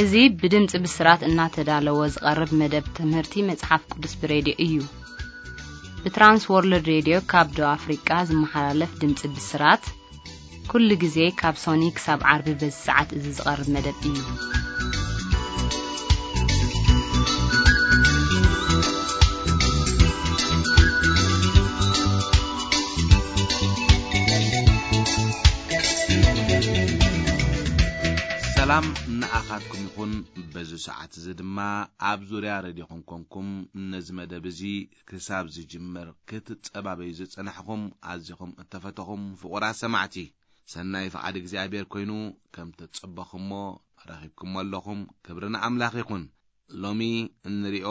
እዚ ብድምፂ ብስራት እናተዳለወ ዝቐርብ መደብ ትምህርቲ መፅሓፍ ቅዱስ ብሬድዮ እዩ። ብትራንስ ወርልድ ሬድዮ ካብ ደቡብ ኣፍሪቃ ዝመሓላለፍ ድምፂ ብስራት ኩሉ ግዜ ካብ ሶኒ ክሳብ ዓርቢ በዚ ሰዓት እዚ ዝቐርብ መደብ እዩ። ሰላም ንኣኻትኩም ይኹን። በዚ ሰዓት እዚ ድማ ኣብ ዙርያ ረድዮኹም ኮንኩም ነዚ መደብ እዚ ክሳብ ዝጅምር ክትጸባበዩ ዝጸናሕኹም ኣዚኹም እተፈተኹም ፍቑራት ሰማዕቲ፣ ሰናይ ፍቓድ እግዚኣብሔር ኮይኑ ከም ተጸበኹሞ ረኺብኩሞ ኣለኹም። ክብሪ ንኣምላኽ ይኹን። ሎሚ እንሪኦ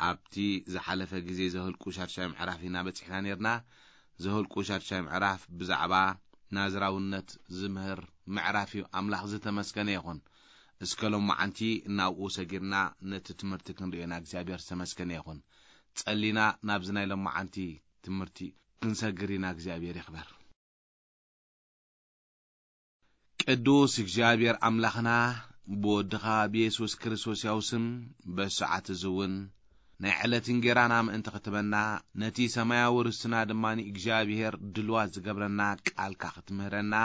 ኣብቲ ዝሓለፈ ግዜ ዘህልቁ ሻድሻይ ምዕራፍ ኢና በጺሕና ነርና። ዘህልቁ ሻድሻይ ምዕራፍ ብዛዕባ ናዝራውነት ዝምህር ምዕራፍ እዩ። ኣምላኽ ዝተመስገነ ይኹን። እስከ ሎማዓንቲ ናብኡ ሰጊርና ነቲ ትምህርቲ ክንርእዮ ኢና። እግዚኣብሔር ዝተመስገነ ይኹን። ጸሊና ናብዚ ናይ ሎማዓንቲ ትምህርቲ ክንሰግር ኢና። እግዚኣብሔር ይኽበር። ቅዱስ እግዚኣብሔር ኣምላኽና ብወድኻ ብየሱስ ክርስቶስ ያው ስም በሰዓት እዚ እውን ናይ ዕለት እንጌራና ምእንቲ ክትበና ነቲ ሰማያዊ ርስትና ድማ እግዚኣብሔር ድልዋት ዝገብረና ቃልካ ክትምህረና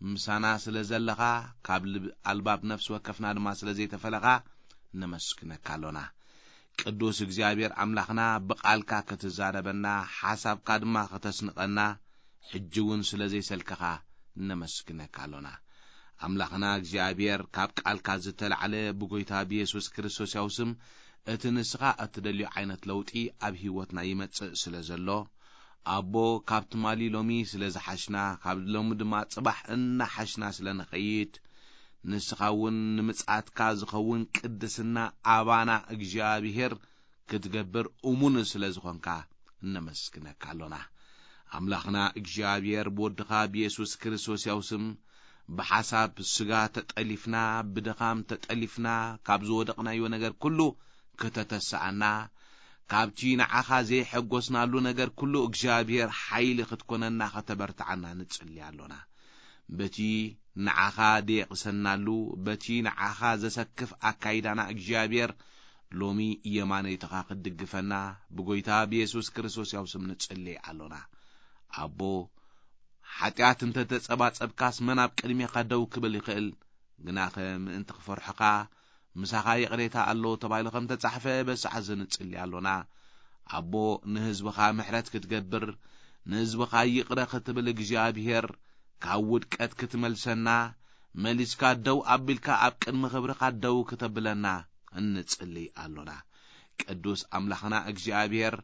ምሳና ስለ ዘለኻ ካብ ልብ ኣልባብ ነፍሲ ወከፍና ድማ ስለ ዘይተፈለኻ ነመስግነካ ኣሎና። ቅዱስ እግዚኣብሔር ኣምላኽና ብቃልካ ክትዛረበና ሓሳብካ ድማ ከተስንቐና ሕጂ እውን ስለ ዘይሰልከኻ ነመስግነካ ኣሎና። ኣምላኽና እግዚኣብሔር ካብ ቃልካ ዝተላዕለ ብጎይታ ብየሱስ ክርስቶስ ያው ስም እቲ ንስኻ እትደልዮ ዓይነት ለውጢ ኣብ ህይወትና ይመጽእ ስለ ዘሎ ኣቦ ካብ ትማሊ ሎሚ ስለ ዝሓሽና ካብ ሎሚ ድማ ጽባሕ እናሓሽና ስለ ንኸይድ ንስኻ እውን ንምጽኣትካ ዝኸውን ቅድስና ኣባና እግዚኣብሔር ክትገብር እሙን ስለ ዝኾንካ እነመስግነካ ኣሎና። ኣምላኽና እግዚኣብሔር ብወድኻ ብየሱስ ክርስቶስ ያው ስም ብሓሳብ ስጋ ተጠሊፍና ብድኻም ተጠሊፍና ካብ ዝወደቕናዮ ነገር ኩሉ ከተተስኣና ካብቲ ንዓኻ ዘይሐጎስናሉ ነገር ኩሉ እግዚኣብሔር ሓይሊ ክትኮነና ከተበርትዓና ንጽሊ ኣሎና። በቲ ንዓኻ ደየቕሰናሉ በቲ ንዓኻ ዘሰክፍ ኣካይዳና እግዚኣብሔር ሎሚ የማነይትኻ ክትድግፈና ብጎይታ ብየሱስ ክርስቶስ ያው ስም ንጽሊ ኣሎና። ኣቦ ሓጢኣት እንተ ተጸባጸብካስ መን ኣብ ቅድሜኻ ደው ክብል ይኽእል? ግናኸ ምእንቲ ክፈርሑኻ ምሳኻ ይቕሬታ ኣሎ ተባሂሉ ከም ተጻሕፈ በሰዓት እዚ ንጽሊ ኣሎና። ኣቦ ንህዝብኻ ምሕረት ክትገብር ንህዝብኻ ይቕረ ክትብል እግዚኣብሔር ካብ ውድቀት ክትመልሰና መሊስካ ደው ኣቢልካ ኣብ ቅድሚ ክብርኻ ደው ክተብለና እንጽሊ ኣሎና። ቅዱስ ኣምላኽና እግዚኣብሔር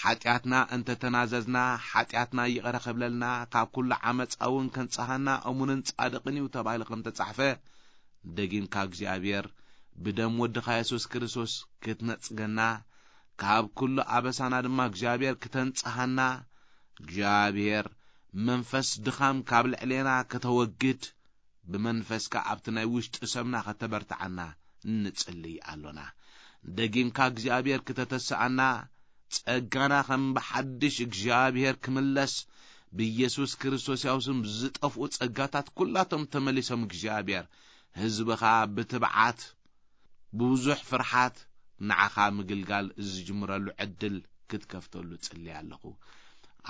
ሓጢኣትና እንተተናዘዝና ሓጢኣትና ይቕረ ክብለልና ካብ ኩሉ ዓመፃ እውን ከንጽሃና እሙንን ጻድቕን እዩ ተባሂሉ ከም ተጻሕፈ ደጊምካ እግዚኣብሔር ብደም ወድኻ የሱስ ክርስቶስ ክትነጽገና ካብ ኩሉ ኣበሳና ድማ እግዚኣብሔር ክተንጽሃና እግዚኣብሔር መንፈስ ድኻም ካብ ልዕሌና ከተወግድ ብመንፈስካ ኣብቲ ናይ ውሽጢ ሰብና ከተበርትዓና እንጽልይ ኣሎና። ደጊምካ እግዚኣብሔር ክተተስኣና ጸጋና ከም ብሓድሽ እግዚኣብሔር ክምለስ ብኢየሱስ ክርስቶስ ያው ስም ዝጠፍኡ ጸጋታት ኩላቶም ተመሊሶም እግዚኣብሔር ህዝብኻ ብትብዓት ብብዙሕ ፍርሓት ንዓኻ ምግልጋል ዝጅምረሉ ዕድል ክትከፍተሉ ጽሊ ኣለኹ።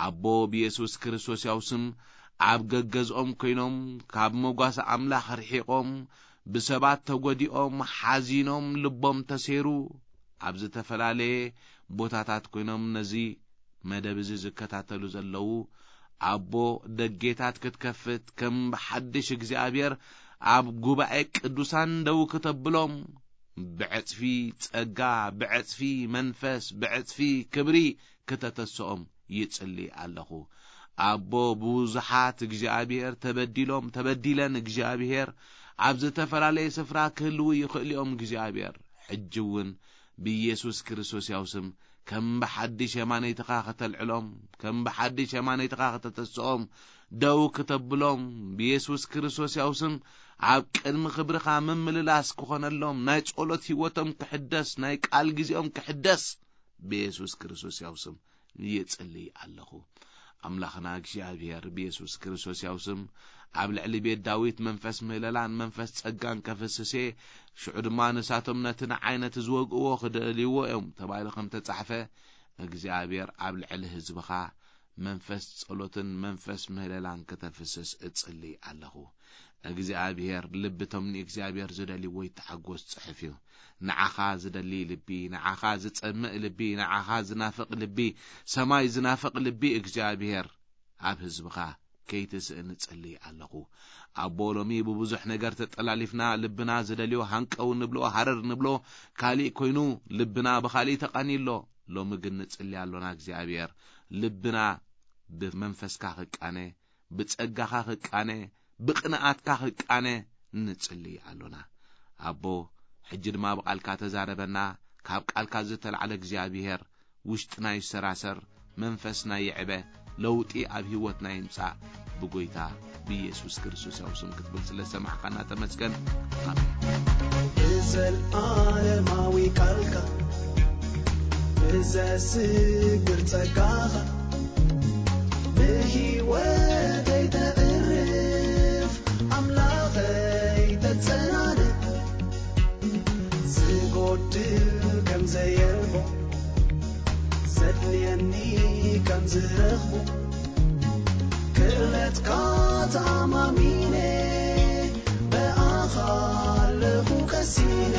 ኣቦ ብየሱስ ክርስቶስ ያው ስም ኣብ ገገዝኦም ኮይኖም ካብ መጓሰ ኣምላኽ ርሒቖም ብሰባት ተጎዲኦም ሓዚኖም ልቦም ተሴሩ ኣብ ዝተፈላለየ ቦታታት ኮይኖም ነዚ መደብ እዚ ዝከታተሉ ዘለዉ ኣቦ ደጌታት ክትከፍት ከም ብሓድሽ እግዚኣብሔር ኣብ ጉባኤ ቅዱሳን ደው ክተብሎም ብዕጽፊ ጸጋ ብዕጽፊ መንፈስ ብዕጽፊ ክብሪ ክተተስኦም ይጽሊ ኣለኹ። ኣቦ ብዙሓት እግዚኣብሔር ተበዲሎም ተበዲለን እግዚኣብሔር ኣብ ዝተፈላለየ ስፍራ ክህልዉ ይኽእሉ እዮም እግዚኣብሔር ሕጂ እውን ብኢየሱስ ክርስቶስ ያው ስም ከም ብሓድሽ የማነይትኻ ከተልዕሎም ከም ብሓድሽ የማነይትኻ ከተተስኦም ደው ክተብሎም ብኢየሱስ ክርስቶስ ያው ስም ኣብ ቅድሚ ክብርኻ ምምልላስ ክኾነሎም ናይ ጸሎት ህይወቶም ክሕደስ ናይ ቃል ግዜኦም ክሕደስ ብኢየሱስ ክርስቶስ ያው ስም ይጽልይ ኣለኹ። ኣምላኽና እግዚኣብሔር ብየሱስ ክርስቶስ ያው ስም ኣብ ልዕሊ ቤት ዳዊት መንፈስ ምህለላን መንፈስ ጸጋን ከፍስስ እየ። ሽዑ ድማ ንሳቶም ነቲ ንዓይ ነቲ ዝወግእዎ ክደልይዎ እዮም ተባሂሉ ከም ተጻሕፈ፣ እግዚኣብሔር ኣብ ልዕሊ ህዝብኻ መንፈስ ጸሎትን መንፈስ ምህለላን ከተፍስስ እጽሊ ኣለኹ። እግዚኣብሔር ልቢ እቶም ንእግዚኣብሔር ዝደልይዎ ይተሓጎስ ጽሑፍ እዩ። ንዓኻ ዝደሊ ልቢ፣ ንዓኻ ዝጸምእ ልቢ፣ ንዓኻ ዝናፍቕ ልቢ፣ ሰማይ ዝናፍቕ ልቢ እግዚኣብሔር ኣብ ህዝብኻ ከይትስእን እጽሊ ኣለኹ። ኣቦ ሎሚ ብብዙሕ ነገር ተጠላሊፍና ልብና ዝደልዮ ሃንቀው ንብሎ ሃረር ንብሎ ካሊእ ኮይኑ ልብና ብኻሊእ ተቃኒ ኣሎ። ሎሚ ግን ንጽሊ ኣሎና እግዚኣብሔር ልብና ብመንፈስካ ክቃነ ብጸጋኻ ክቃነ፣ ብቕንኣትካ ክቃነ ንጽሊ ኣሎና። ኣቦ፣ ሕጂ ድማ ብቓልካ ተዛረበና፣ ካብ ቃልካ ዝተላዕለ እግዚኣብሔር ውሽጥና ይሰራሰር፣ መንፈስና ይዕበ፣ ለውጢ ኣብ ህይወትና ይምጻእ። ብጎይታ ብኢየሱስ ክርስቶስ ያው ስም ክትብል ስለ ሰማዕካና ተመስገን። ኣሜን። ብዘለኣለማዊ ቃልካ ብዘስግር ጸጋኻ ንህይወተይ ተዕርፍ ኣምላኸይ ተጸናንዕ። ዝጎድል ከም ዘየልቦ ዘድልየኒ ከም ዝረኽቦ ክእለትካ ተኣማሚነ ብኣኻ ኣለኹ ቀሲነ።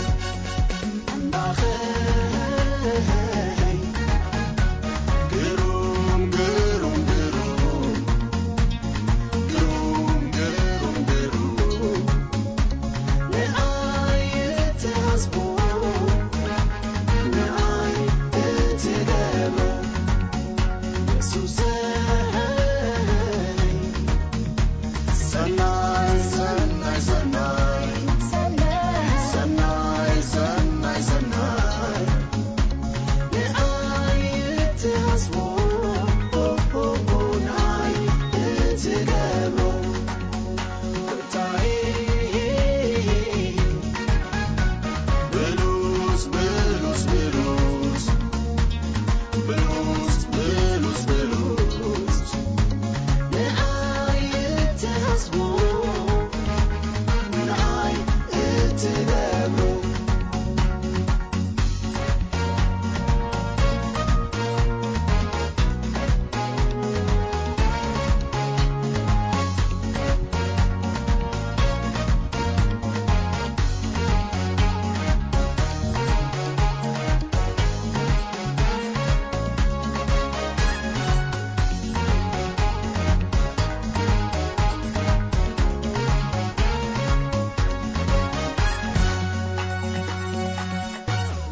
ኣምላኸይ ግሩም ግሩም ግሩም ግሩም ግሩም ግሩም ንኣይ እትሓስቦ ንኣይ እትገብሮ የሱሰይ ሰናይ ሰናይ ሰናይ ሰናይ ሰናይ ሰናይ ንኣይ እትሓስቦ ንኣይ እትገብሮ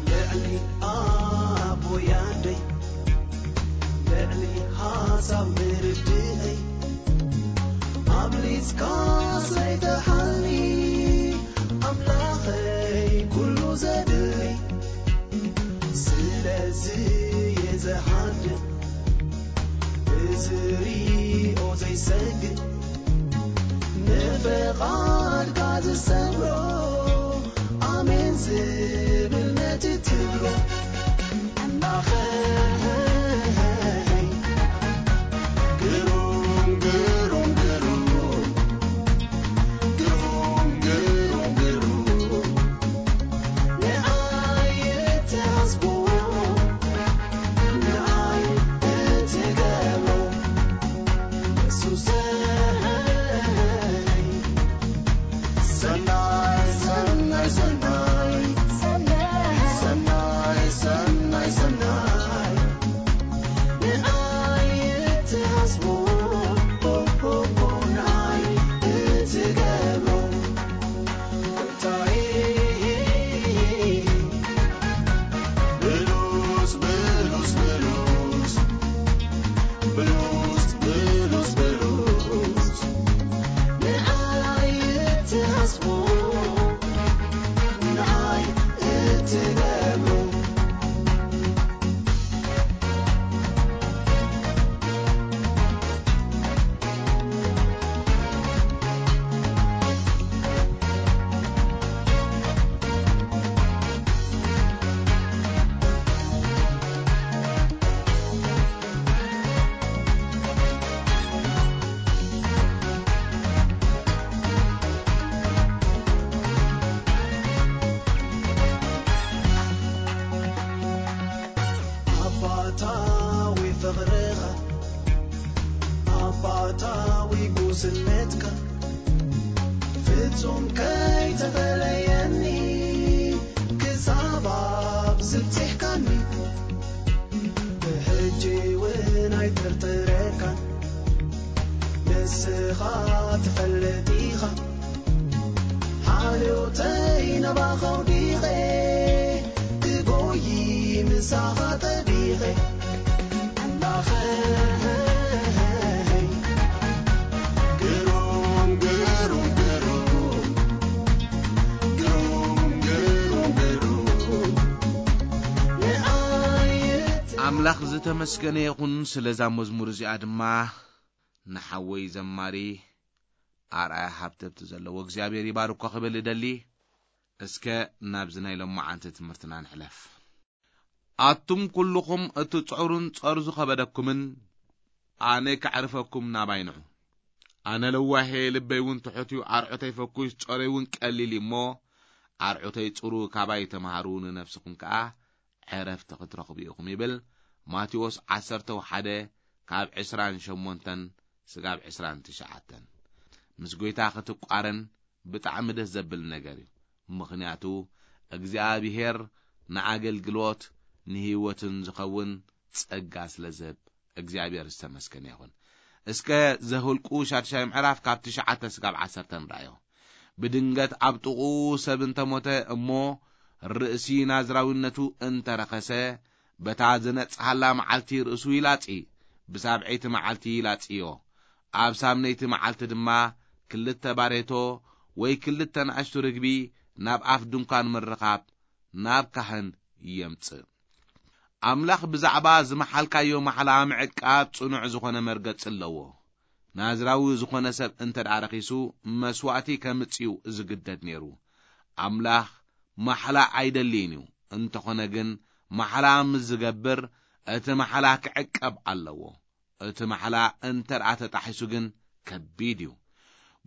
ልዕሊ ኣቦያደይ ልዕሊ ሓሳብ ምርድእይ ኣብሊጽካ ሰይተሓኒ ኣምላኸይ ኩሉ ዘድሊ ስለዚ እየ ዝሃድእ እዚ ሪኦ ዘይሰግእ ንፍቓድካ ዝሰምሮ ኣሜን ዝብል ነቲ ትብሎ ኣምላኸይ ግሩም ግሩም ግሩም ግሩም ግሩም ግሩም ንኣይ እትሓስቦ ንኣይ እትገብሮ የሱሰይ ሰናይ ሰናይ ሰናይ ሰናይ ሰናይ ሰናይ ንኣይ እትሓስቦ ንኣይ እትገብሮ ጎይታዬ ብሉጽ ብሉጽ ብሉጽ ብሉጽ ብሉጽ ብሉጽ ንኣይ እትሓስቦ ንኣይ እትገብሮ ስነትካ ፍጹም ከይተፈለየኒ ክሳብ ኣብ ዝብጽሕካኒ ብሕጂ እውን ኣይጥርጥረካን ንስኻ ትፈልጥ ኢኻ ሓልዮተይ ናባኻ ኣውዲቐ ክጎይ ምሳኻ ጠቢቐ ኣምላኸይ ግሩም ግሩም ግሩም ግሩም ግሩም ግሩም ንኣየት ኣምላኽ ዝተመስገነ ይኹን ስለዛ መዝሙር እዚኣ ድማ ንሓወይ ዘማሪ ኣርኣያ ሃብተብቲ ዘለዎ እግዚኣብሔር ይባርኮ ክብል እደሊ። እስከ ናብዚ ናይ ሎማዓንቲ ትምህርትና ንሕለፍ። ኣቱም ኩልኹም እቲ ጸሩን ጸርዙ ከበደኩምን ኣነ ከዕርፈኩም ናባይ ንዑ። ኣነ ለዋሄ ልበይ እውን ትሑት እዩ፣ ኣርዑተይ ፈኩስ ጸረይ እውን ቀሊል እዩ እሞ ኣርዑተይ ጽሩ ካባይ ተምሃሩ ንነፍስኹም ከኣ ዕረፍቲ ክትረኽቡ ኢኹም ይብል ማቴዎስ ዓሰርተ ሓደ ካብ ዕስራን ሸሞንተን ስጋብ ዕስራን ትሽዓተን። ምስ ጎይታ ክትቋረን ብጣዕሚ ደስ ዘብል ነገር እዩ። ምኽንያቱ እግዚኣብሔር ንኣገልግሎት ንህይወትን ዝኸውን ጸጋ ስለ ዝህብ እግዚኣብሔር ዝተመስገነ ይኹን። እስከ ዘሁልቁ ሻድሻይ ምዕራፍ ካብ ትሽዓተ ስጋብ ዓሰርተ ንርኣዮ። ብድንገት ኣብ ጥቕኡ ሰብ እንተሞተ እሞ ርእሲ ናዝራዊነቱ እንተረኸሰ በታ ዝነጽሃላ መዓልቲ ርእሱ ይላጺ፣ ብሳብዐይቲ መዓልቲ ይላጽዮ። ኣብ ሳምነይቲ መዓልቲ ድማ ክልተ ባሬቶ ወይ ክልተ ንኣሽቱ ርግቢ ናብ ኣፍ ድንኳን ምርኻብ ናብ ካህን የምጽእ። ኣምላኽ ብዛዕባ ዝመሓልካዮ ማሕላ ምዕቃብ ጽኑዕ ዝኾነ መርገጽ ኣለዎ። ናዝራዊ ዝኾነ ሰብ እንተ ደኣ ረኺሱ መስዋእቲ ከምጽእዩ ዝግደድ ነይሩ። ኣምላኽ ማሕላ ኣይደልይን እዩ። እንተኾነ ግን ማሕላ ምስ ዝገብር እቲ ማሕላ ክዕቀብ ኣለዎ። እቲ ማሕላ እንተ ደኣ ተጣሒሱ ግን ከቢድ እዩ።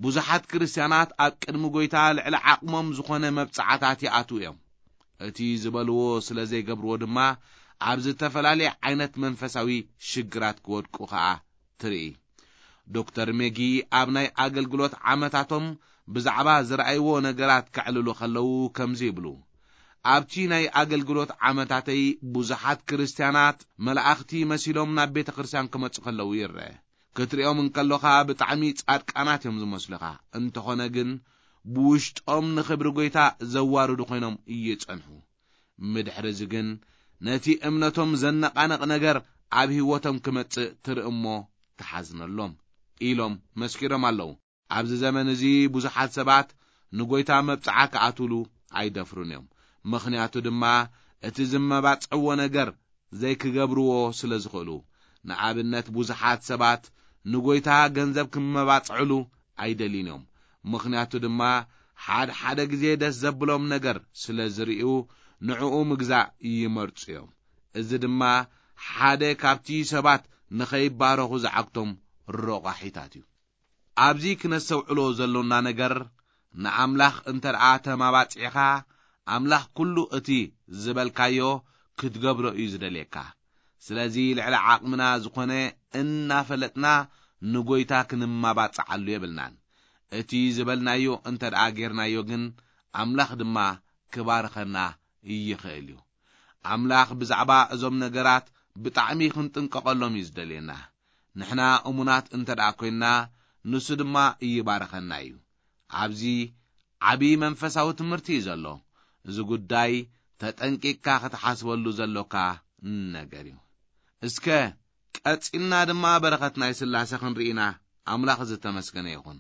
ብዙሓት ክርስትያናት ኣብ ቅድሚ ጎይታ ልዕሊ ዓቕሞም ዝኾነ መብጽዓታት ይኣትዉ እዮም። እቲ ዝበልዎ ስለ ዘይገብርዎ ድማ ኣብ ዝተፈላለየ ዓይነት መንፈሳዊ ሽግራት ክወድቁ ኸኣ ትርኢ። ዶክተር ሜጊ ኣብ ናይ ኣገልግሎት ዓመታቶም ብዛዕባ ዝረኣይዎ ነገራት ከዕልሉ ከለዉ ከምዚ ይብሉ። ኣብቲ ናይ ኣገልግሎት ዓመታተይ ብዙሓት ክርስትያናት መላእኽቲ መሲሎም ናብ ቤተ ክርስቲያን ክመጹ ከለዉ ይርአ። ክትሪኦም እንከሎኻ ብጣዕሚ ጻድቃናት እዮም ዝመስሉኻ። እንተኾነ ግን ብውሽጦም ንኽብሪ ጎይታ ዘዋርዱ ኮይኖም ይጸንሑ። ምድሕሪ እዚ ግን ነቲ እምነቶም ዘነቓንቕ ነገር ኣብ ህይወቶም ክመጽእ ትርኢ እሞ ትሓዝነሎም ኢሎም መስኪሮም ኣለዉ። ኣብዚ ዘመን እዚ ብዙሓት ሰባት ንጎይታ መብጽዓ ክኣትውሉ ኣይደፍሩን እዮም። ምኽንያቱ ድማ እቲ ዝመባጽዕዎ ነገር ዘይክገብርዎ ስለ ዝኽእሉ። ንኣብነት ብዙሓት ሰባት ንጎይታ ገንዘብ ክመባጽዕሉ ኣይደልዩን እዮም። ምኽንያቱ ድማ ሓደ ሓደ ግዜ ደስ ዘብሎም ነገር ስለ ዝርእዩ ንዕኡ ምግዛእ ይመርጹ እዮም። እዚ ድማ ሓደ ካብቲ ሰባት ንኸይባረኹ ዝዓግቶም ረቋሒታት እዩ። ኣብዚ ክነስተውዕሎ ዘሎና ነገር ንኣምላኽ እንተ ደኣ ተማባጺዕኻ ኣምላኽ ኩሉ እቲ ዝበልካዮ ክትገብሮ እዩ ዝደልየካ። ስለዚ ልዕሊ ዓቕምና ዝኾነ እናፈለጥና ንጎይታ ክንማባጽዓሉ የብልናን። እቲ ዝበልናዮ እንተ ደኣ ጌርናዮ ግን ኣምላኽ ድማ ክባርኸና ይኽእል እዩ። ኣምላኽ ብዛዕባ እዞም ነገራት ብጣዕሚ ክንጥንቀቐሎም እዩ ዝደልየና። ንሕና እሙናት እንተ ደኣ ኮይንና ንሱ ድማ ይባርኸና እዩ። ኣብዚ ዓቢ መንፈሳዊ ትምህርቲ እዩ ዘሎ። እዚ ጉዳይ ተጠንቂቕካ ክትሓስበሉ ዘሎካ ነገር እዩ። እስከ ቀጺልና ድማ በረኸት ናይ ስላሴ ክንርኢ ኢና። ኣምላኽ ዝተመስገነ ይኹን።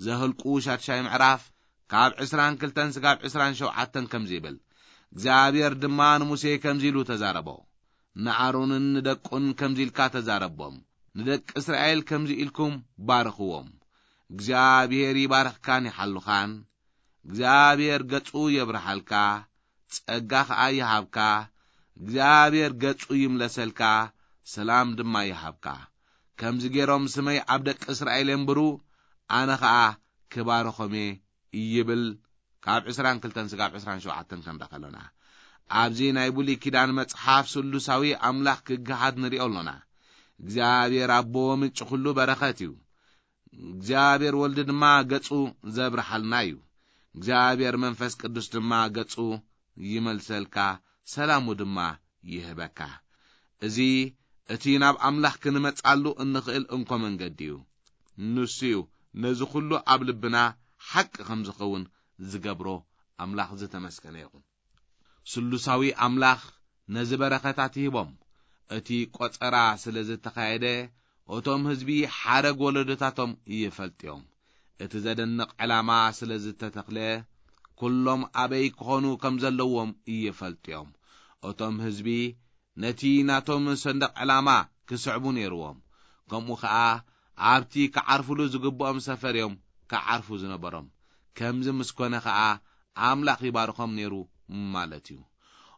ዘህልቁ ሻድሻይ ምዕራፍ ካብ ዕስራን ክልተን ስጋብ ዕስራን ሸውዓተን ከምዚ ይብል። እግዚኣብሔር ድማ ንሙሴ ከምዚ ኢሉ ተዛረቦ። ንኣሮንን ንደቁን ከምዚ ኢልካ ተዛረቦም። ንደቂ እስራኤል ከምዚ ኢልኩም ባርኽዎም። እግዚኣብሔር ይባርኽካን ይሓልኻን። እግዚኣብሔር ገጹ የብርሃልካ፣ ጸጋ ኸኣ ይሃብካ። እግዚኣብሔር ገጹ ይምለሰልካ፣ ሰላም ድማ ይሃብካ። ከምዚ ገይሮም ስመይ ኣብ ደቂ እስራኤል የንብሩ፣ ኣነ ኸኣ ክባርኾም እየ ይብል። ካብ ዕስራን ክልተን ስጋብ ዕስራን ሸውዓተን ክንረኸ ኣሎና። ኣብዚ ናይ ብሉይ ኪዳን መጽሓፍ ስሉሳዊ ኣምላኽ ክገሃድ ንሪኦ ኣሎና። እግዚኣብሔር ኣቦ ምንጪ ኩሉ በረኸት እዩ። እግዚኣብሔር ወልዲ ድማ ገጹ ዘብርሃልና እዩ። እግዚኣብሔር መንፈስ ቅዱስ ድማ ገጹ ይመልሰልካ፣ ሰላሙ ድማ ይህበካ። እዚ እቲ ናብ ኣምላኽ ክንመጻሉ እንኽእል እንኮ መንገዲ እዩ። ንሱ እዩ ነዚ ኹሉ ኣብ ልብና ሓቂ ከም ዝኸውን ዝገብሮ። ኣምላኽ ዝተመስገነ ይኹን። ስሉሳዊ ኣምላኽ ነዚ በረኸታት ይህቦም። እቲ ቆጸራ ስለ ዝተኻየደ፣ እቶም ህዝቢ ሓረግ ወለዶታቶም ይፈልጥዮም። እቲ ዘደንቕ ዕላማ ስለ ዝተተኽለ፣ ኩሎም ኣበይ ክኾኑ ከም ዘለዎም ይፈልጥዮም። እቶም ህዝቢ ነቲ ናቶም ሰንደቕ ዕላማ ክስዕቡ ነይርዎም። ከምኡ ኸኣ ኣብቲ ክዓርፉሉ ዝግብኦም ሰፈር እዮም ክዓርፉ ዝነበሮም። ከምዚ ምስ ኮነ ኸኣ ኣምላኽ ይባርኾም ነይሩ ማለት እዩ።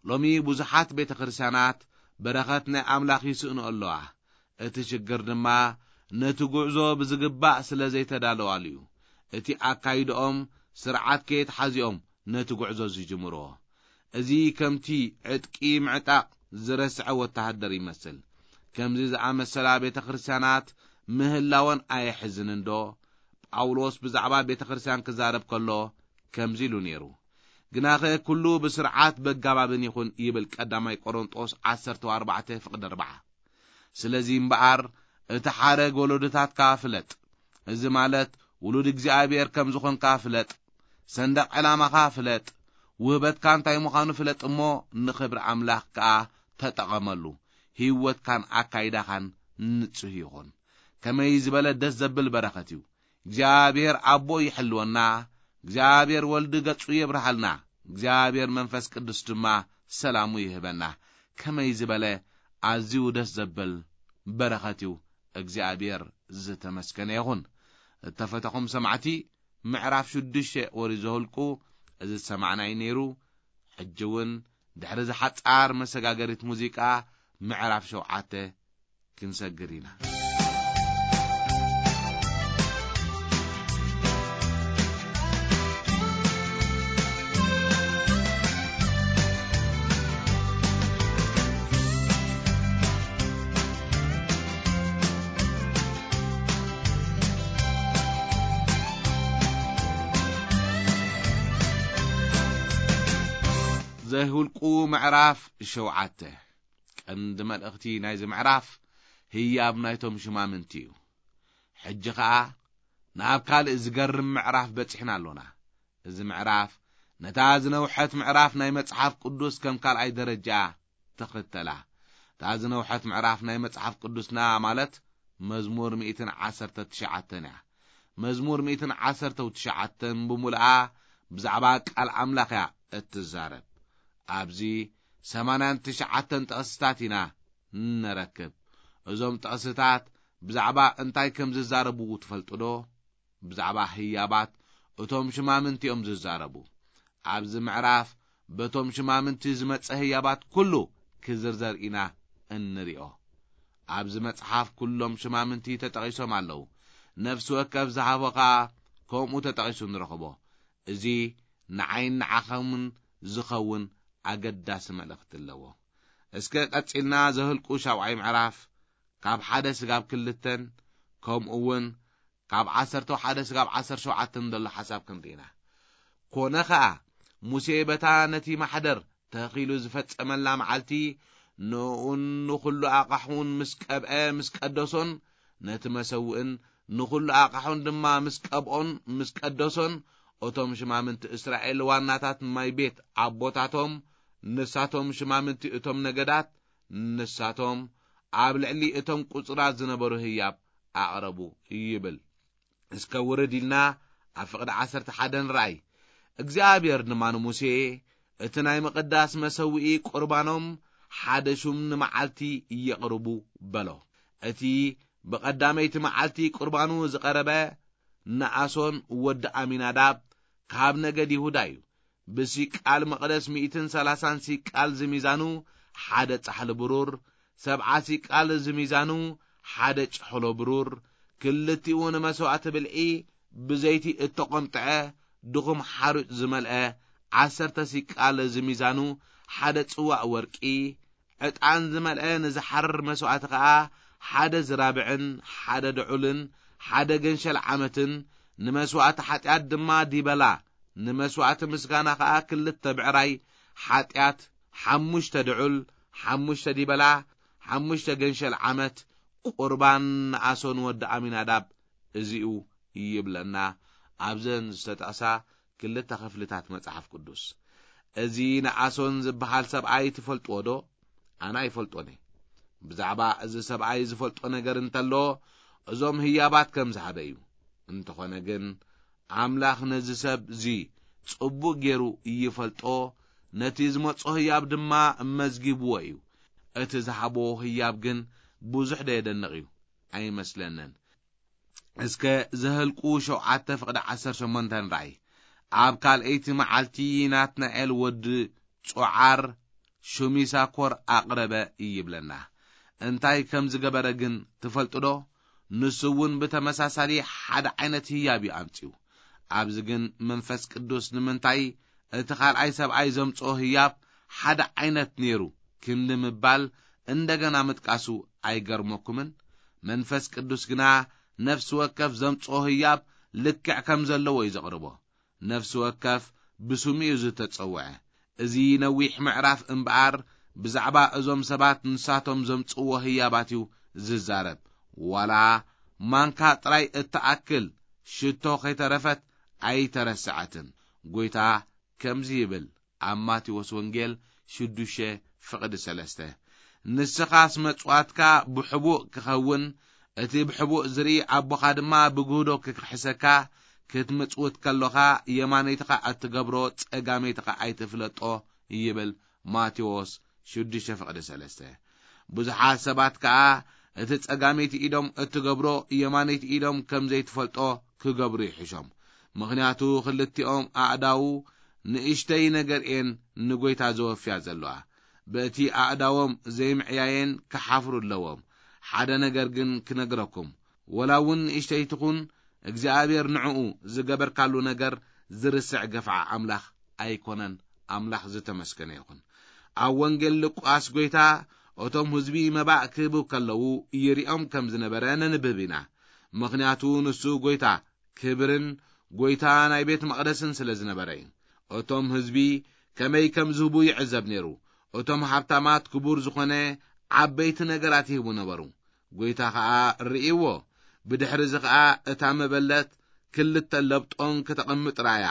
ሎሚ ብዙሓት ቤተ ክርስቲያናት በረኸት ናይ ኣምላኽ ይስእኑ ኣለዋ። እቲ ሽግር ድማ ነቲ ጉዕዞ ብዝግባእ ስለ ዘይተዳለዋሉ እዩ። እቲ ኣካይድኦም ስርዓት ከየትሓዚኦም ነቲ ጉዕዞ ዝጅምርዎ። እዚ ከምቲ ዕጥቂ ምዕጣቕ ዝረስዐ ወተሃደር ይመስል። ከምዚ ዝኣመሰላ ቤተ ክርስቲያናት ምህላወን ኣየሕዝንን ዶ? ጳውሎስ ብዛዕባ ቤተ ክርስቲያን ክዛረብ ከሎ ከምዚ ኢሉ ነይሩ። ግናኸ ኩሉ ብስርዓት በጋባብን ይኹን ይብል ቀዳማይ ቆሮንጦስ ዓሰርተ ኣርባዕተ ፍቕዲ ኣርባዓ። ስለዚ እምበኣር እቲ ሓረግ ወለዶታትካ ፍለጥ። እዚ ማለት ውሉድ እግዚኣብሔር ከም ዝኾንካ ፍለጥ። ሰንደቕ ዕላማኻ ፍለጥ። ውህበትካ እንታይ ምዃኑ ፍለጥ እሞ ንኽብሪ ኣምላኽ ከኣ ተጠቐመሉ። ህይወትካን ኣካይዳኻን ንጹህ ይኹን። ከመይ ዝበለ ደስ ዘብል በረኸት እዩ። እግዚኣብሔር ኣቦ ይሕልወና። እግዚኣብሔር ወልዲ ገጹ የብርሃልና። እግዚኣብሔር መንፈስ ቅዱስ ድማ ሰላሙ ይህበና። ከመይ ዝበለ ኣዝዩ ደስ ዘብል በረኸት እዩ። እግዚኣብሔር ዝተመስገነ ይኹን። እተፈተኹም ሰማዕቲ፣ ምዕራፍ ሽዱሽተ ወሪ ዘሁልቁ እዚ ዝሰማዕናይ ነይሩ። ሕጂ እውን ድሕሪ ዝሓጻር መሰጋገሪት ሙዚቃ ምዕራፍ ሸውዓተ ክንሰግር ኢና። ዘሁልቁ ምዕራፍ ሸውዓተ። ቀንዲ መልእኽቲ ናይዚ ምዕራፍ ህያብ ናይቶም ሽማምንቲ እዩ። ሕጂ ኸኣ ናብ ካልእ ዝገርም ምዕራፍ በጺሕና ኣሎና። እዚ ምዕራፍ ነታ ዝነውሐት ምዕራፍ ናይ መጽሓፍ ቅዱስ ከም ካልኣይ ደረጃ ትኽተላ። እታ ዝነውሐት ምዕራፍ ናይ መጽሓፍ ቅዱስና ማለት መዝሙር ሚእትን ዓሰርተ ትሽዓተን እያ። መዝሙር ሚእትን ዓሰርተ ትሽዓተን ብምሉኣ ብዛዕባ ቃል ኣምላኽ እያ እትዛረብ። ኣብዚ ሰማንያን ትሽዓተን ጥቕስታት ኢና ንረክብ። እዞም ጥቕስታት ብዛዕባ እንታይ ከም ዝዛረቡ ትፈልጡ ዶ? ብዛዕባ ህያባት እቶም ሽማምንቲ እዮም ዝዛረቡ። ኣብዚ ምዕራፍ በቶም ሽማምንቲ ዝመጸ ህያባት ኩሉ ክዝርዘር ኢና እንሪኦ። ኣብዚ መጽሓፍ ኩሎም ሽማምንቲ ተጠቒሶም ኣለዉ። ነፍሲ ወከፍ ዝሃቦ ኸኣ ከምኡ ተጠቒሱ ንረኽቦ። እዚ ንዓይን ንዓኸምን ዝኸውን ኣገዳሲ መልእኽቲ ኣለዎ። እስከ ቀጺልና ዘህልቁ ሻብዓይ ምዕራፍ ካብ ሓደ ስጋብ ክልተን ከምኡ እውን ካብ ዓሰርተ ሓደ ስጋብ ዓሰርተ ሸውዓተን ዘሎ ሓሳብ ክንርኢና። ኮነ ኸኣ ሙሴ በታ ነቲ ማሕደር ተኺሉ ዝፈጸመላ መዓልቲ ንኡን ንኹሉ ኣቕሑን ምስ ቀብአ ምስ ቀደሶን ነቲ መሰውእን ንኹሉ ኣቕሑን ድማ ምስ ቀብኦን ምስ ቀደሶን እቶም ሽማምንቲ እስራኤል ዋናታት ማይ ቤት ኣቦታቶም ንሳቶም ሽማምንቲ እቶም ነገዳት ንሳቶም ኣብ ልዕሊ እቶም ቁጽራት ዝነበሩ ህያብ ኣቕረቡ ይብል። እስከ ውርድ ኢልና ኣብ ፍቕዲ ዓሰርተ ሓደ ንረኣይ። እግዚኣብሔር ድማ ንሙሴ፣ "እቲ ናይ ምቕዳስ መሰውኢ ቁርባኖም ሓደ ሹም ንመዓልቲ የቕርቡ" በሎ። እቲ ብቐዳመይቲ መዓልቲ ቁርባኑ ዝቐረበ ነኣሶን ወዲ ኣሚናዳብ ካብ ነገድ ይሁዳ እዩ። ብሲቃል መቕደስ ሚእትን ሰላሳን ሲቃል ዝሚዛኑ ሓደ ጻሕሊ ብሩር፣ ሰብዓ ሲቃል ዝሚዛኑ ሓደ ጭሕሎ ብሩር፣ ክልቲኡ ንመሥዋዕቲ ብልዒ ብዘይቲ እተቖምጥዐ ድኹም ሓሩጭ ዝመልአ፣ ዓሰርተ ሲቃል ዝሚዛኑ ሓደ ጽዋእ ወርቂ፣ ዕጣን ዝመልአ ንዝሓርር መሥዋዕቲ ኸኣ ሓደ ዝራብዕን ሓደ ድዑልን ሓደ ገንሸል ዓመትን ንመስዋእቲ ሓጢኣት ድማ ዲበላ፣ ንመስዋእቲ ምስጋና ኸኣ ክልተ ብዕራይ ሓጢኣት፣ ሓሙሽተ ድዑል፣ ሓሙሽተ ዲበላ፣ ሓሙሽተ ገንሸል ዓመት፣ ቁርባን ንኣሶን ወዲ ኣሚናዳብ እዚኡ ይብለና ኣብዘን ዝተጠቕሳ ክልተ ክፍልታት መጽሓፍ ቅዱስ። እዚ ንኣሶን ዝበሃል ሰብኣይ ትፈልጥዎ ዶ? ኣነ ኣይፈልጦን እየ። ብዛዕባ እዚ ሰብኣይ ዝፈልጦ ነገር እንተሎ፣ እዞም ህያባት ከም ዝሃበ እዩ። እንተኾነ ግን፣ ኣምላኽ ነዚ ሰብ እዚ ጽቡቕ ገይሩ ይፈልጦ፣ ነቲ ዝመጾ ህያብ ድማ መዝጊብዎ እዩ። እቲ ዝሃቦ ህያብ ግን ብዙሕ ዶ የደንቕ እዩ? ኣይመስለንን። እስከ ዘህልቁ ሸውዓተ ፍቕዲ ዓሰርተ ሸሞንተ ንርኣይ። ኣብ ካልኣይቲ መዓልቲ ናትናኤል ወዲ ጾዓር ሹሚሳኮር ኣቕረበ ይብለና። እንታይ ከም ዝገበረ ግን ትፈልጡ ዶ? ንሱ እውን ብተመሳሳሊ ሓደ ዓይነት ህያብ እዩ ኣምጺኡ። ኣብዚ ግን መንፈስ ቅዱስ ንምንታይ እቲ ካልኣይ ሰብኣይ ዘምጽኦ ህያብ ሓደ ዓይነት ነይሩ ክንዲ ምባል እንደገና ምጥቃሱ ኣይገርመኩምን? መንፈስ ቅዱስ ግና ነፍሲ ወከፍ ዘምጽኦ ህያብ ልክዕ ከም ዘለዎ እዩ ዘቕርቦ። ነፍሲ ወከፍ ብስሙ እዩ ዝተጸውዐ። እዚ ነዊሕ ምዕራፍ እምበኣር ብዛዕባ እዞም ሰባት ንሳቶም ዘምጽእዎ ህያባት እዩ ዝዛረብ። ዋላ ማንካ ጥራይ እትኣክል ሽቶ ከይተረፈት ኣይተረስዐትን። ጎይታ ከምዚ ይብል ኣብ ማቴዎስ ወንጌል ሽዱሽተ ፍቕዲ ሰለስተ፣ "ንስኻስ መጽዋትካ ብሕቡእ ክኸውን፣ እቲ ብሕቡእ ዝርኢ ኣቦኻ ድማ ብግህዶ ክክሕሰካ፣ ክትምጽውት ከሎኻ የማነይትኻ እትገብሮ ጸጋመይትኻ ኣይትፍለጦ" ይብል ማቴዎስ ሽዱሽተ ፍቕዲ ሰለስተ። ብዙሓት ሰባት ከኣ እቲ ጸጋመይቲ ኢዶም እትገብሮ የማነይቲ ኢዶም ከም ዘይትፈልጦ ክገብሩ ይሕሾም። ምኽንያቱ ክልቲኦም ኣእዳዉ ንእሽተይ ነገር እየን ንጎይታ ዘወፍያ ዘለዋ። በቲ ኣእዳዎም ዘይምዕያየን ክሓፍሩ ኣለዎም። ሓደ ነገር ግን ክነግረኩም፣ ወላ እውን ንእሽተይ ትኹን፣ እግዚኣብሔር ንዕኡ ዝገበርካሉ ነገር ዝርስዕ ገፍዓ ኣምላኽ ኣይኮነን። ኣምላኽ ዝተመስገነ ይኹን። ኣብ ወንጌል ሉቃስ ጎይታ እቶም ህዝቢ መባእ ክህቡ ከለዉ ይሪኦም ከም ዝነበረ ነንብብ ኢና። ምኽንያቱ ንሱ ጎይታ ክብርን ጎይታ ናይ ቤት መቕደስን ስለ ዝነበረ እዩ። እቶም ህዝቢ ከመይ ከም ዝህቡ ይዕዘብ ነይሩ። እቶም ሃብታማት ክቡር ዝኾነ ዓበይቲ ነገራት ይህቡ ነበሩ። ጎይታ ኸኣ ርእይዎ። ብድሕሪ እዚ ኸኣ እታ መበለት ክልተ ለብጦን ክተቐምጥ ረኣያ።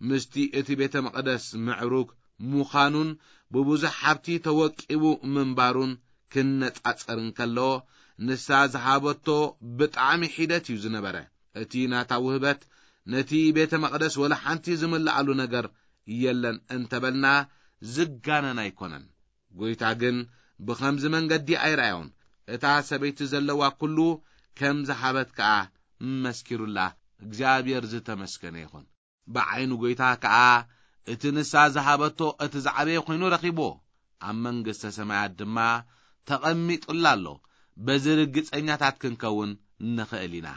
ምስቲ እቲ ቤተ መቕደስ ምዕሩግ ምዃኑን ብብዙሕ ሃብቲ ተወቂቡ ምንባሩን ክነጻጸር እንከሎ፣ ንሳ ዝሃበቶ ብጣዕሚ ሒደት እዩ ዝነበረ። እቲ ናታ ውህበት ነቲ ቤተ መቕደስ ወላ ሓንቲ ዝምልኣሉ ነገር የለን እንተበልና ዝጋነን ኣይኮነን። ጎይታ ግን ብኸምዚ መንገዲ ኣይረኣዮን። እታ ሰበይቲ ዘለዋ ኩሉ ከም ዝሃበት ከኣ መስኪሩላ። እግዚኣብሔር ዝተመስገነ ይኹን። ብዓይኑ ጎይታ ከኣ እቲ ንሳ ዝሃበቶ እቲ ዝዓበየ ኮይኑ ረኺብዎ። ኣብ መንግስተ ሰማያት ድማ ተቐሚጡላ ኣሎ። በዚ ርግጸኛታት ክንከውን ንኽእል ኢና።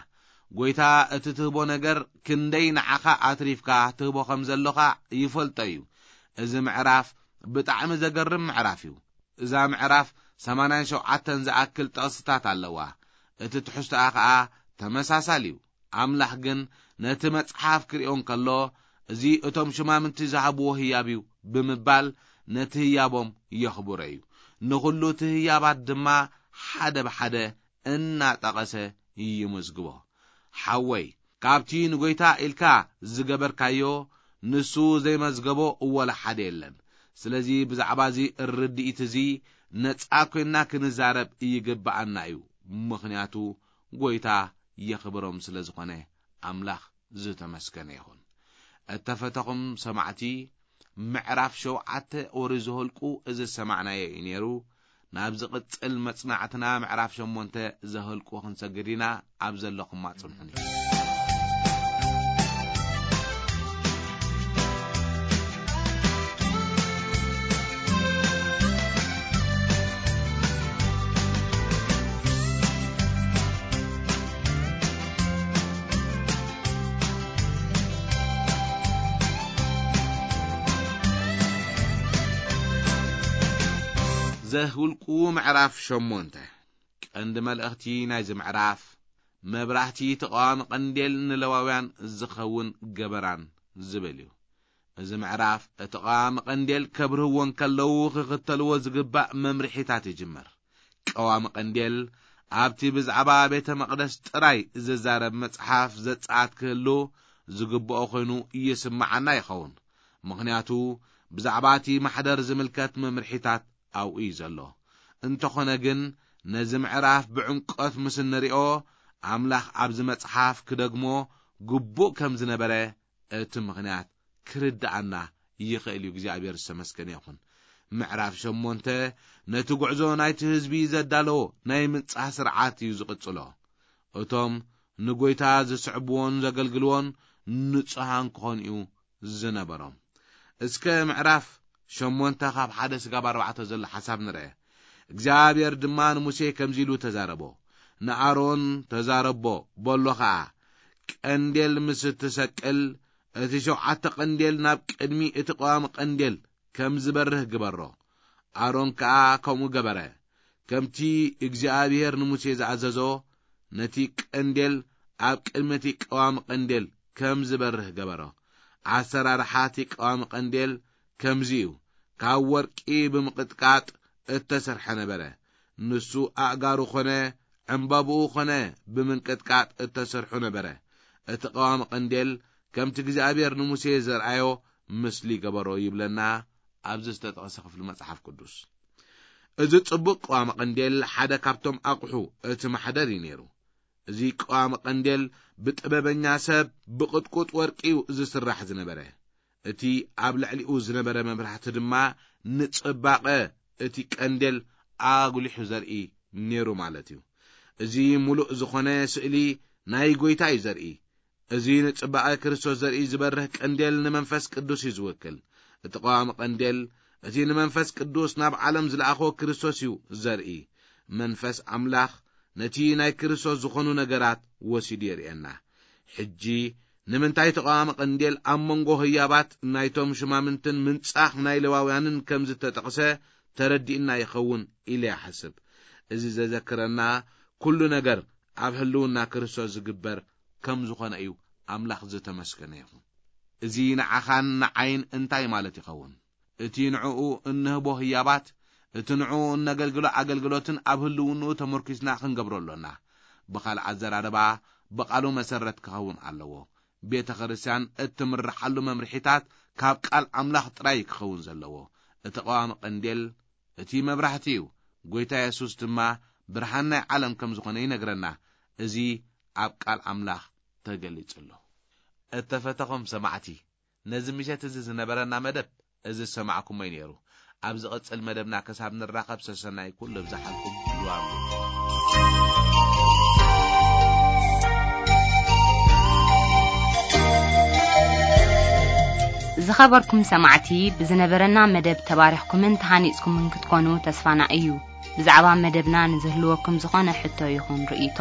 ጎይታ እቲ ትህቦ ነገር ክንደይ ንዓኻ ኣትሪፍካ ትህቦ ከም ዘሎኻ ይፈልጦ እዩ። እዚ ምዕራፍ ብጣዕሚ ዘገርም ምዕራፍ እዩ። እዛ ምዕራፍ ሰማንያን ሸውዓተን ዝኣክል ጥቕስታት ኣለዋ። እቲ ትሕዝቶኣ ኸኣ ተመሳሳሊ እዩ። ኣምላኽ ግን ነቲ መጽሓፍ ክርእዮ እንከሎ፣ "እዚ እቶም ሽማምንቲ ዝሃብዎ ህያብ እዩ" ብምባል ነቲ ህያቦም የኽብሮ እዩ። ንኹሉ እቲ ህያባት ድማ ሓደ ብሓደ እናጠቐሰ ይምዝግቦ። ሓወይ፣ ካብቲ ንጎይታ ኢልካ ዝገበርካዮ ንሱ ዘይመዝገቦ ወላ ሓደ የለን። ስለዚ ብዛዕባ እዚ ርድኢት እዚ ነጻ ኮይንና ክንዛረብ ይግብኣና እዩ። ምኽንያቱ ጎይታ የኽብሮም ስለ ዝኾነ ኣምላኽ ዝተመስገነ ይኹን። እተፈተኹም ሰማዕቲ፣ ምዕራፍ ሸውዓተ ኦሪት ዘኍልቁ እዚ ዝሰማዕናዮ እዩ ነይሩ። ናብ ዝቕጽል መጽናዕትና ምዕራፍ ሸሞንተ ዘኍልቁ ክንሰግድ ኢና። ኣብ ዘለኹማ ጽንሑኒ። ዘኍልቁ ምዕራፍ ሸሞንተ። ቀንዲ መልእኽቲ ናይዚ ምዕራፍ፣ መብራህቲ ተቓዋሚ ቀንዴል ንለዋውያን ዝኸውን ገበራን ዝብል እዩ። እዚ ምዕራፍ እቲ ቀዋሚ ቀንዴል ከብርህዎ እንከለዉ ክኽተልዎ ዝግባእ መምርሒታት ይጅምር። ቀዋሚ ቀንዴል ኣብቲ ብዛዕባ ቤተ መቕደስ ጥራይ ዝዛረብ መጽሓፍ ዘጸኣት ክህሉ ዝግብኦ ኮይኑ ይስምዓና ይኸውን። ምኽንያቱ ብዛዕባ እቲ ማሕደር ዝምልከት መምርሒታት ኣብኡ እዩ ዘሎ። እንተኾነ ግን ነዚ ምዕራፍ ብዕምቆት ምስ እንሪኦ ኣምላኽ ኣብዚ መጽሓፍ ክደግሞ ግቡእ ከም ዝነበረ እቲ ምኽንያት ክርድኣና ይኽእል እዩ። እግዚኣብሔር ዝተመስገነ ይኹን። ምዕራፍ ሸሞንተ ነቲ ጉዕዞ ናይቲ ህዝቢ ዘዳለዎ ናይ ምንጻህ ስርዓት እዩ ዝቕጽሎ። እቶም ንጎይታ ዝስዕብዎን ዘገልግልዎን ንጹሃን ክኾኑ እዩ ዝነበሮም። እስከ ምዕራፍ ሸሞንተ ካብ ሓደ ስጋብ ኣርባዕተ ዘሎ ሓሳብ ንርአ። እግዚኣብሔር ድማ ንሙሴ ከምዚ ኢሉ ተዛረቦ። ንኣሮን ተዛረቦ፣ በሎ ኸኣ፣ ቀንዴል ምስ እትሰቅል፣ እቲ ሸውዓተ ቀንዴል ናብ ቅድሚ እቲ ቀዋሚ ቀንዴል ከም ዝበርህ ግበሮ። ኣሮን ከኣ ከምኡ ገበረ። ከምቲ እግዚኣብሔር ንሙሴ ዝኣዘዞ፣ ነቲ ቀንዴል ኣብ ቅድሚ እቲ ቀዋሚ ቀንዴል ከም ዝበርህ ገበሮ። ኣሰራርሓ እቲ ቀዋሚ ቀንዴል ከምዚ እዩ። ካብ ወርቂ ብምቕጥቃጥ እተሰርሐ ነበረ። ንሱ ኣእጋሩ ኾነ ዕምባብኡ ኾነ ብምንቅጥቃጥ እተሰርሑ ነበረ። እቲ ቀዋሚ ቀንዴል ከምቲ እግዚኣብሔር ንሙሴ ዘርኣዮ ምስሊ ገበሮ ይብለና ኣብዚ ዝተጠቕሰ ክፍሊ መጽሓፍ ቅዱስ። እዚ ጽቡቕ ቀዋሚ ቀንዴል ሓደ ካብቶም ኣቑሑ እቲ ማሕደር እዩ ነይሩ። እዚ ቀዋሚ ቀንዴል ብጥበበኛ ሰብ ብቕጥቁጥ ወርቂ እዩ ዝስራሕ ዝነበረ። እቲ ኣብ ልዕሊኡ ዝነበረ መብራህቲ ድማ ንጽባቐ እቲ ቀንዴል ኣጉሊሑ ዘርኢ ነይሩ ማለት እዩ። እዚ ምሉእ ዝኾነ ስእሊ ናይ ጎይታ እዩ ዘርኢ። እዚ ንጽባቐ ክርስቶስ ዘርኢ ዝበርህ ቀንዴል ንመንፈስ ቅዱስ እዩ ዝውክል። እቲ ቀዋሚ ቀንዴል እቲ ንመንፈስ ቅዱስ ናብ ዓለም ዝለኣኾ ክርስቶስ እዩ ዘርኢ። መንፈስ ኣምላኽ ነቲ ናይ ክርስቶስ ዝኾኑ ነገራት ወሲዱ የርእየና። ሕጂ ንምንታይ ተቓዋሚ ቀንዴል ኣብ መንጎ ህያባት ናይቶም ሽማምንትን ምንጻኽ ናይ ሌዋውያንን ከም ዝተጠቕሰ ተረዲእና ይኸውን ኢለ ይሓስብ። እዚ ዘዘክረና ኩሉ ነገር ኣብ ህልውና ክርስቶስ ዝግበር ከም ዝኾነ እዩ። ኣምላኽ ዝተመስገነ ይኹን። እዚ ንዓኻን ንዓይን እንታይ ማለት ይኸውን? እቲ ንዕኡ እንህቦ ህያባት፣ እቲ ንዕኡ እነገልግሎ ኣገልግሎትን ኣብ ህልውንኡ ተመርኪስና ክንገብሮ ኣሎና። ብኻልእ ኣዘራርባ፣ ብቓሉ መሰረት ክኸውን ኣለዎ። ቤተ ክርስቲያን እትምርሓሉ መምርሒታት ካብ ቃል ኣምላኽ ጥራይ ክኸውን ዘለዎ። እቲ ቀዋሚ ቀንዴል እቲ መብራህቲ እዩ። ጎይታ የሱስ ድማ ብርሃን ናይ ዓለም ከም ዝኾነ ይነግረና። እዚ ኣብ ቃል ኣምላኽ ተገሊጹ ኣሎ። እተፈተኹም ሰማዕቲ፣ ነዚ ምሸት እዚ ዝነበረና መደብ እዚ ዝሰማዕኩሞ እዩ ነይሩ። ኣብ ዝቕጽል መደብና ክሳብ ንራኸብ ሰሰናይ ኩሉ ብዝሓልኩም ይዋሉ። ዝኸበርኩም ሰማዕቲ፣ ብዝነበረና መደብ ተባሪኽኩምን ተሃኒጽኩምን ክትኮኑ ተስፋና እዩ። ብዛዕባ መደብና ንዝህልወኩም ዝኾነ ሕቶ ይኹን ርእይቶ፣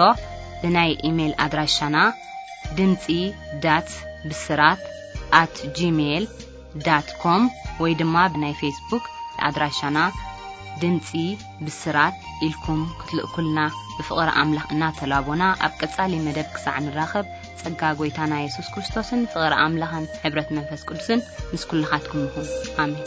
ብናይ ኢሜይል ኣድራሻና ድምጺ ዳት ብስራት ኣት ጂሜይል ዳት ኮም ወይ ድማ ብናይ ፌስቡክ ኣድራሻና ድምጺ ብስራት ኢልኩም ክትልእኩልና ብፍቕሪ ኣምላኽ እናተላቦና፣ ኣብ ቀጻሊ መደብ ክሳዕ ንራኸብ፣ ጸጋ ጎይታና የሱስ ክርስቶስን ፍቕሪ ኣምላኽን ሕብረት መንፈስ ቅዱስን ምስ ኩልኻትኩም ይኹን። ኣሜን።